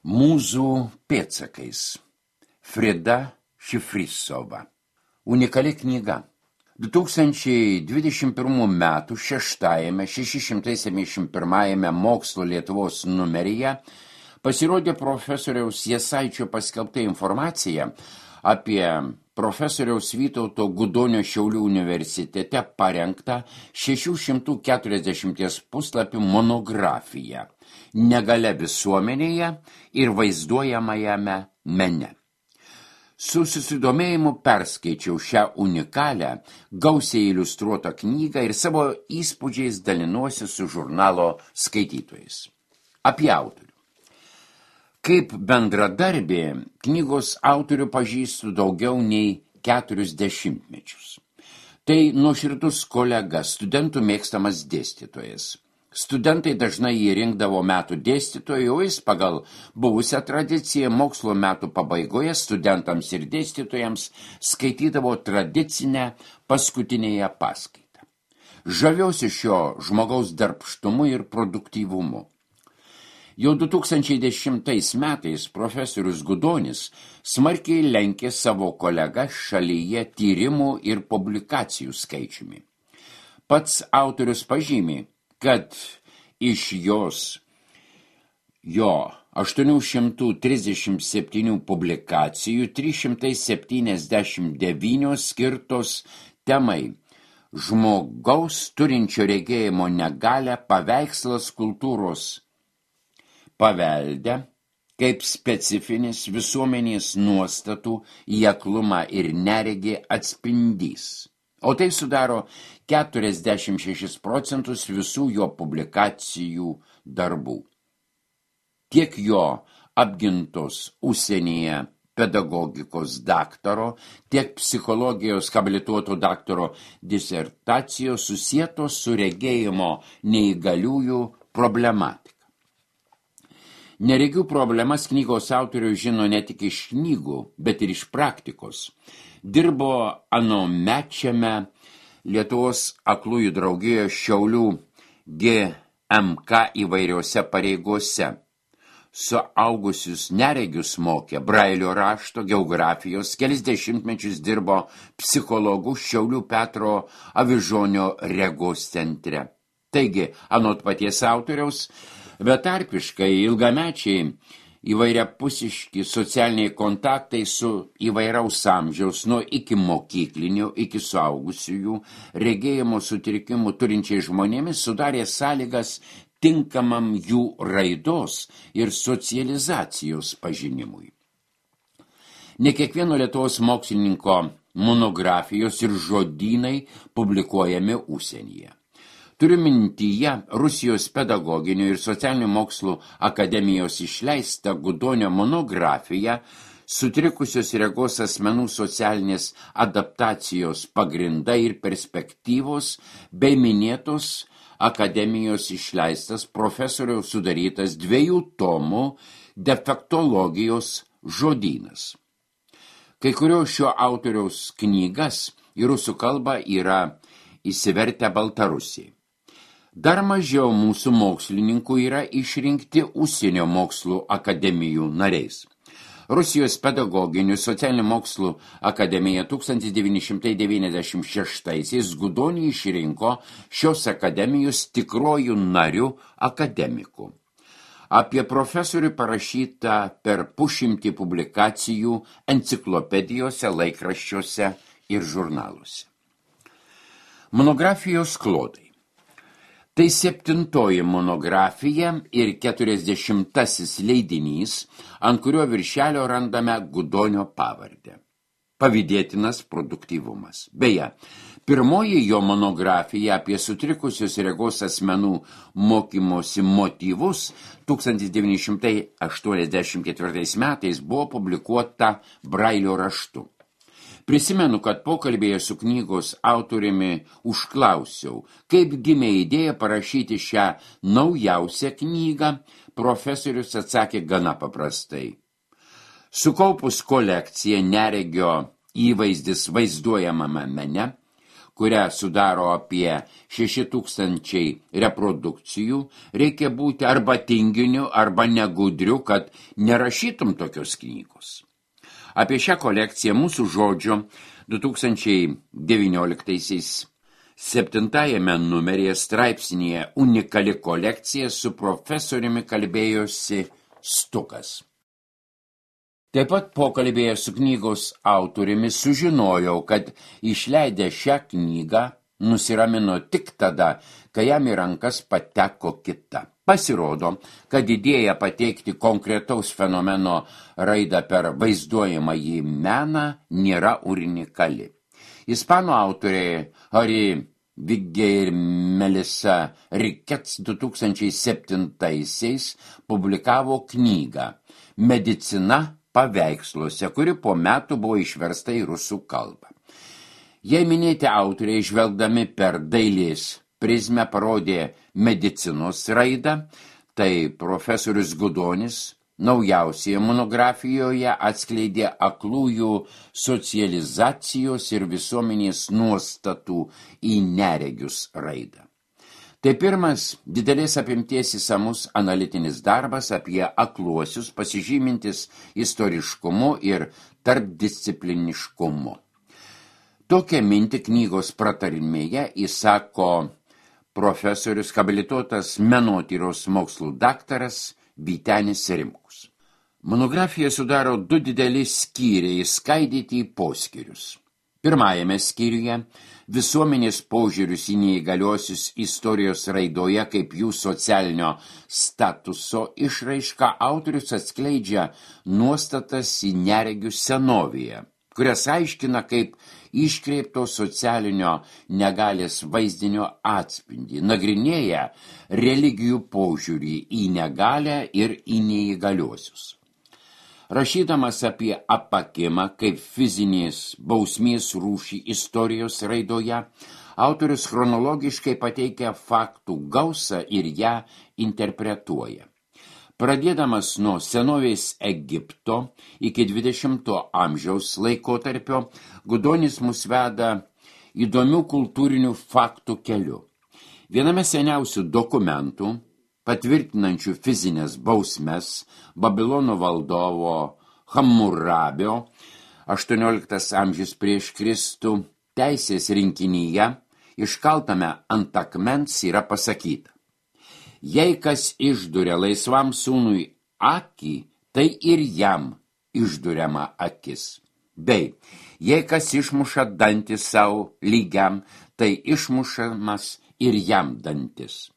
Mūzų pėdsakais. Frida Šifrisova. Unikali knyga. 2021 metų 671 Mokslo Lietuvos numeryje pasirodė profesoriaus Jasaičio paskelbta informacija apie profesoriaus Vytauto Gudonio Šiaulių universitete parengtą 640 puslapių monografiją Negalia visuomenėje ir vaizduojamajame mene. Su susidomėjimu perskaičiau šią unikalią, gausiai iliustruotą knygą ir savo įspūdžiais dalinuosi su žurnalo skaitytojais. Apie autorių. Kaip bendradarbė, knygos autorių pažįstu daugiau nei 40 metus. Tai nuoširdus kolega, studentų mėgstamas dėstytojas. Studentai dažnai jį rinkdavo metų dėstytojų, o jis pagal buvusią tradiciją mokslo metų pabaigoje studentams ir dėstytojams skaitydavo tradicinę paskutinėje paskaitą. Žaviausi šio žmogaus darbštumu ir produktyvumu. Jau 2010 metais profesorius Gudonis smarkiai lenkė savo kolegą šalyje tyrimų ir publikacijų skaičiumi. Pats autorius pažymi, kad iš jo 837 publikacijų 379 skirtos temai žmogaus turinčio regėjimo negalią paveikslas kultūros pavelde kaip specifinis visuomenės nuostatų į aklumą ir neregį atspindys. O tai sudaro 46% visų jo publikacijų darbų. Tiek jo apgintos užsienyje pedagogikos daktaro, tiek psichologijos habilituoto daktaro disertacijos susietos su regėjimo neįgaliųjų problematika. Neregių problemas knygos autorius žino ne tik iš knygų, bet ir iš praktikos. Dirbo anomečiame Lietuvos aklųjų draugijoje Šiaulių GMK įvairiose pareigose. Suaugusius neregius mokė Brailio rašto, geografijos, kelis dešimtmečius dirbo psichologų Šiaulių Petro Avižonio regos centre. Taigi, anot paties autoriaus, betarpiškai ilgamečiai įvairiapusiški socialiniai kontaktai su įvairaus amžiaus nuo iki mokyklinio, iki suaugusiųjų regėjimo sutrikimų turinčiai žmonėmis sudarė sąlygas tinkamam jų raidos ir socializacijos pažinimui. Ne kiekvieno Lietuvos mokslininko monografijos ir žodynai publikuojami užsienyje. Turiu mintyje Rusijos pedagoginių ir socialinių mokslų akademijos išleistą Gudonio monografiją Sutrikusios regos asmenų socialinės adaptacijos pagrindai ir perspektyvos bei minėtos akademijos išleistas profesoriaus sudarytas 2 tomų defektologijos žodynas. Kai kurio šio autoriaus knygas į rusų kalbą yra įsivertę Baltarusiai. Dar mažiau mūsų mokslininkų yra išrinkti užsienio mokslų akademijų nariais. Rusijos pedagoginių socialinių mokslų akademija 1996-aisiais Gudonį išrinko šios akademijos tikruoju nariu akademiku. Apie profesorių parašyta per 100 publikacijų enciklopedijose, laikraščiuose ir žurnaluose. Monografijos klodai. Tai 7 monografija ir 40 leidinys, ant kurio viršelio randame Gudonio pavardę. Pavydėtinas produktyvumas. Beje, pirmoji jo monografija apie sutrikusios regos asmenų mokymosi motyvus 1984 metais buvo publikuota Brailio raštu. Prisimenu, kad pokalbėje su knygos autoriumi užklausiau, kaip gimė idėja parašyti šią naujausią knygą, profesorius atsakė gana paprastai. Sukaupus kolekciją neregio įvaizdis vaizduojamame mene, kurią sudaro apie 6000 reprodukcijų, reikia būti arba tinginiu, arba negudriu, kad nerašytum tokios knygos. Apie šią kolekciją mūsų žodžio 2019 7 numeryje straipsnėje unikali kolekcija su profesoriumi kalbėjosi Stukas. Taip pat pokalbėje su knygos autoriumi sužinojau, kad išleidę šią knygą nusiramino tik tada, kai jam į rankas pateko kita. Pasirodo, kad idėja pateikti konkretaus fenomeno raidą per vaizduojamąjį meną nėra unikali. Ispanų autoriai Harry Vigge ir Melissa Ricketts 2007 publikavo knygą Medicina paveiksluose, kuri po metų buvo išversta į rusų kalbą. Jei minėti autoriai, žvelgdami per dailės prizmę, parodė medicinos raidą, tai profesorius Gudonis naujausioje monografijoje atskleidė aklųjų socializacijos ir visuomenės nuostatų į neregius raidą. Tai pirmas didelės apimties išsamus analitinis darbas apie akluosius, pasižymintis istoriškumu ir tarpdiscipliniškumu. Tokią mintį knygos pratarimėje įsako profesorius habilituotas menotyros mokslų daktaras Vytenis Rimkus. Monografija sudaro 2 dideli skyriai, skaidyti į poskyrius. Pirmajame skyriuje visuomenės požiūrius į neįgaliuosius istorijos raidoje kaip jų socialinio statuso išraišką autorius atskleidžia nuostatas į neregių senovėje, kurias aiškina kaip iškreipto socialinio negalės vaizdinio atspindį, nagrinėja religijų požiūrį į negalę ir į neįgaliuosius. Rašydamas apie apakimą kaip fizinės bausmės rūšį istorijos raidoje, autorius chronologiškai pateikia faktų gausą ir ją interpretuoja. Pradėdamas nuo senovės Egipto iki 20 amžiaus laikotarpio, Gudonis mus veda įdomių kultūrinių faktų keliu. Viename seniausių dokumentų, patvirtinančių fizinės bausmes, Babilono valdovo Hammurabio 18 amžius prieš Kristų teisės rinkinyje, iškaltame ant akmens yra pasakyta: jei kas išduria laisvam sūnui akį, tai ir jam išduriama akis. Bei, jei kas išmuša dantį savo lygiam, tai išmušamas ir jam dantis.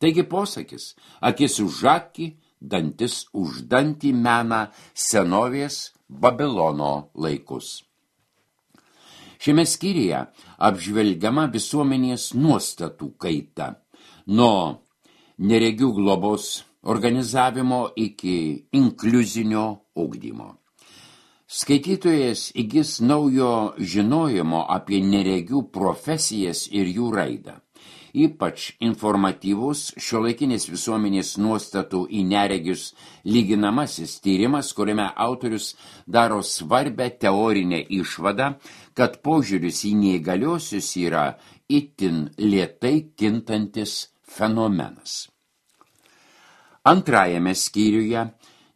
Taigi posakis, akis už akį, dantis už dantį mena senovės Babilono laikus. Šiame skyriuje apžvelgiama visuomenės nuostatų kaita, nuo neregių globos organizavimo iki inkliuzinio ugdymo. Skaitytojas įgis naujo žinojimo apie neregių profesijas ir jų raidą. Ypač informatyvus šiuolaikinės visuomenės nuostatų į neregius lyginamasis tyrimas, kuriame autorius daro svarbę teorinę išvadą, kad požiūris į neįgaliuosius yra itin lėtai kintantis fenomenas. Antrajame skyriuje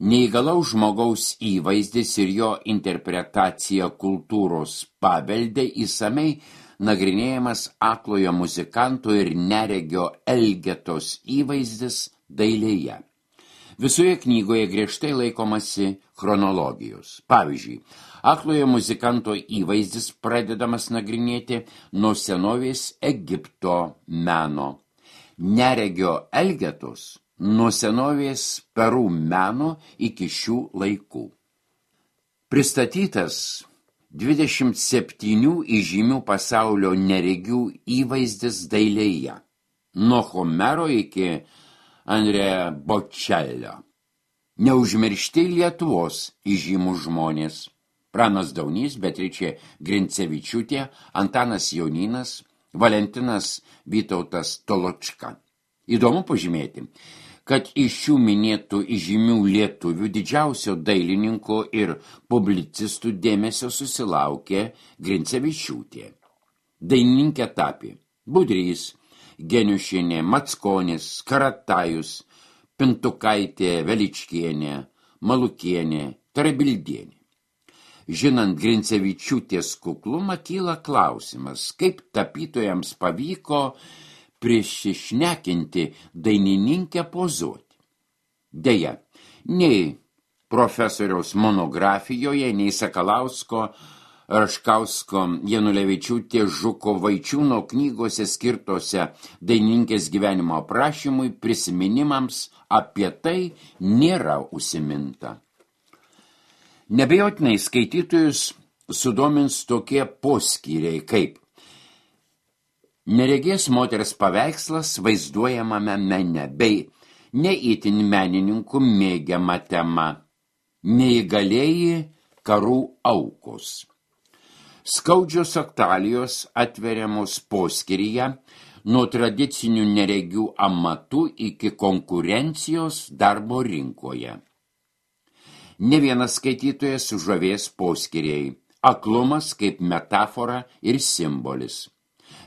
neįgalaus žmogaus įvaizdis ir jo interpretacija kultūros pavelde įsamei nagrinėjamas aklojo muzikanto ir neregio Elgetos įvaizdis dailėje. Visoje knygoje griežtai laikomasi chronologijos. Pavyzdžiui, aklojo muzikanto įvaizdis pradedamas nagrinėti nuo senovės Egipto meno. Neregio Elgetos nuo senovės Perų meno iki šių laikų. Pristatytas 27 įžymių pasaulio neregių įvaizdis dailėje, nuo Homero iki Andrea Bocello. Neužmiršti Lietuvos įžymų žmonės: Pranas Daunys, Beatričė Grincevičiūtė, Antanas Jonynas, Valentinas Vytautas Toločka. Įdomu pažymėti, kad iš šių minėtų įžymių lietuvių didžiausio dailininko ir publicistų dėmesio susilaukė Grincevičiūtė. Dainininkė tapė Budrys, Geniušienė, Mackonis, Karatajus, Pintukaitė, Veličkienė, Malukienė, Tarabildienė. Žinant Grincevičiūtės kuklumą, kyla klausimas, kaip tapytojams pavyko prisišnekinti dainininkę pozuoti. Deja, nei profesoriaus monografijoje, nei Sakalausko, Raškausko, Janulevičiūtės, Žuko, Vaičiūno knygose skirtose dainininkės gyvenimo aprašymui, prisiminimams apie tai nėra užsiminta. Nebejotinai skaitytojus sudomins tokie poskyriai kaip neregės moters paveikslas vaizduojamame mene bei neįtin menininkų mėgiama tema neįgalieji karų aukos. Skaudžios aktualijos atveriamos poskyryje nuo tradicinių neregių amatų iki konkurencijos darbo rinkoje. Ne vienas skaitytojas sužavės poskyriai, aklumas kaip metafora ir simbolis.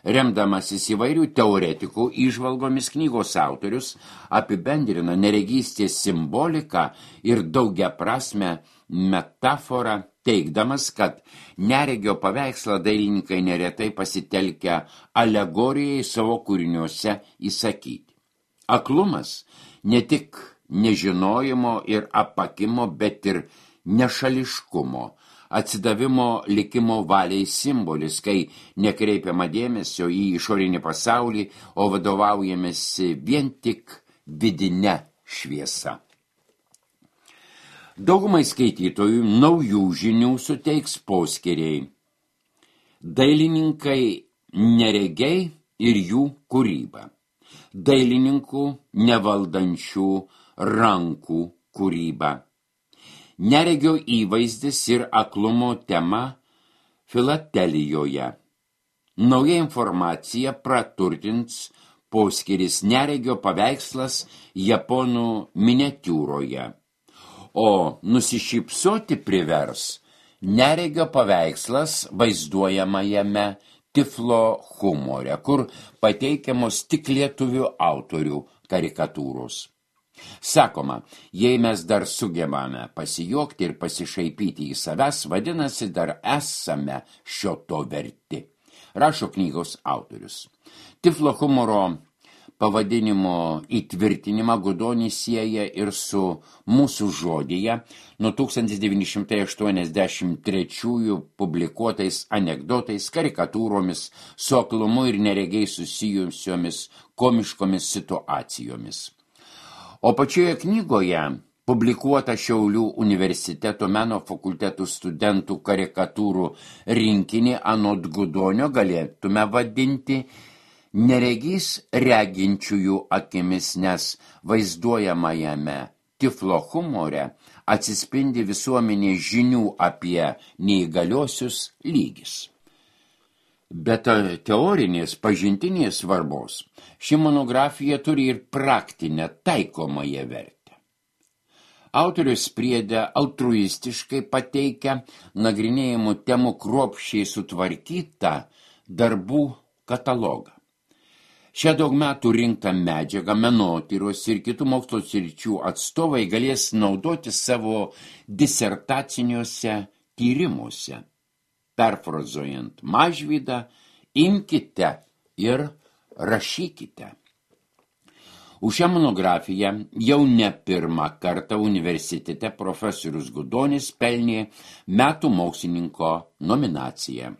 Remdamasis įvairių teoretikų įžvalgomis, knygos autorius apibendrina neregystės simboliką ir daugiaprasmę metaforą, teigdamas, kad neregio paveikslą dailininkai neretai pasitelkia alegorijai savo kūriniuose įsakyti. Aklumas ne tik nežinojimo ir apakimo, bet ir nešališkumo, atsidavimo likimo valiai simbolis, kai nekreipiama dėmesio į išorinį pasaulį, o vadovaujamasi vien tik vidine šviesa. Daugumai skaitytojų naujų žinių suteiks poskyriai. Dailininkai neregiai ir jų kūryba. Dailininkų nevaldančių rankų kūryba. Neregio įvaizdis ir aklumo tema filatelijoje. Nauja informacija praturtins poskyris neregio paveikslas japonų miniatiūroje, o nusišypsoti privers neregio paveikslas vaizduojamajame tiflo humore, kur pateikiamos tik lietuvių autorių karikatūros. Sakoma, jei mes dar sugebame pasijuokti ir pasišaipyti į savęs, vadinasi, dar esame šio to verti, rašo knygos autorius. Tiflo humoro pavadinimo įtvirtinimą Gudonis sieja ir su mūsų žodyje nuo 1983 publikuotais anekdotais, karikatūromis, su aklumu ir neregiai susijusiomis komiškomis situacijomis. O pačioje knygoje publikuota Šiaulių universiteto meno fakultetų studentų karikatūrų rinkinį anot Gudonio galėtume vadinti neregys reginčiųjų akimis, nes vaizduojamajame tiflo humore atsispindi visuomenės žinių apie neįgaliosius lygis. Bet teorinės pažintinės svarbos ši monografija turi ir praktinę taikomąją vertę. Autorius priede altruistiškai pateikia nagrinėjimų temų kruopščiai sutvarkytą darbų katalogą. Šią daug metų rinktą medžiagą menotyros ir kitų mokslo sričių atstovai galės naudoti savo disertaciniuose tyrimuose. Perfrazuojant Mažvydą, imkite ir rašykite. Už šią monografiją jau ne pirmą kartą universitete profesorius Gudonis pelnė metų mokslininko nominaciją.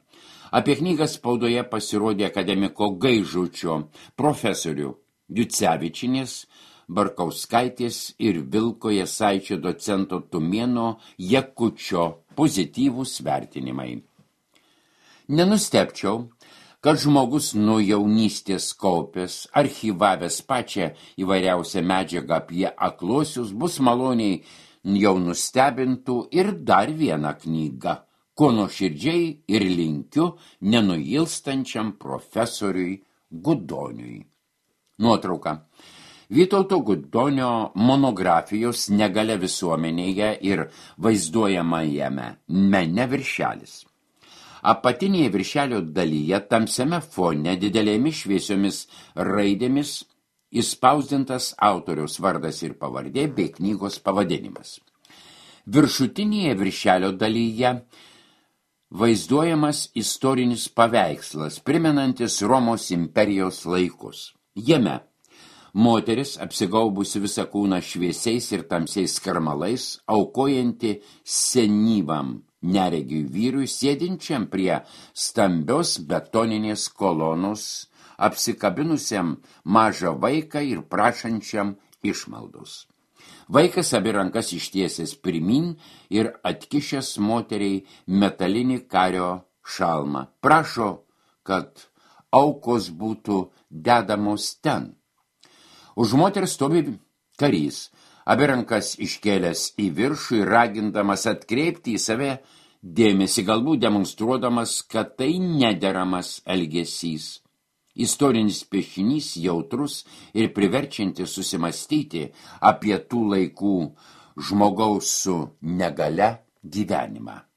Apie knygą spaudoje pasirodė akademiko Gaižučio, profesorių Jucevičinės, Barkauskaitės ir Vilko Jasaičio docento Tumėno Jakučio pozityvūs vertinimai. Nenustepčiau, kad žmogus nuo jaunystės kaupęs, archyvavęs pačią įvairiausią medžiagą apie akluosius, bus maloniai jau nustebintų ir dar vieną knygą, ko nuoširdžiai ir linkiu nenuilstančiam profesoriui Gudoniui. Nuotrauka. Vytauto Gudonio monografijos Negalia visuomenėje ir vaizduojamajame mene viršelis. Apatinėje viršelio dalyje tamsiame fone didelėmis šviesiomis raidėmis įspausdintas autoriaus vardas ir pavardė bei knygos pavadinimas. Viršutinėje viršelio dalyje vaizduojamas istorinis paveikslas, primenantis Romos imperijos laikus. Jame moteris, apsigaubusi visą kūną šviesiais ir tamsiais skarmalais, aukojanti senyvam neregiui vyrui, sėdinčiam prie stambios betoninės kolonos, apsikabinusiam mažą vaiką ir prašančiam išmaldos. Vaikas abi rankas ištiesęs pirmin ir atkišęs moteriai metalinį kario šalmą. Prašo, kad aukos būtų dedamos ten. Už moters stovi karys, abi rankas iškėlęs į viršų ir ragindamas atkreipti į save dėmesį, galbūt demonstruodamas, kad tai nederamas elgesys. Istorinis piešinys jautrus ir priverčiantis susimastyti apie tų laikų žmogaus su negalia gyvenimą.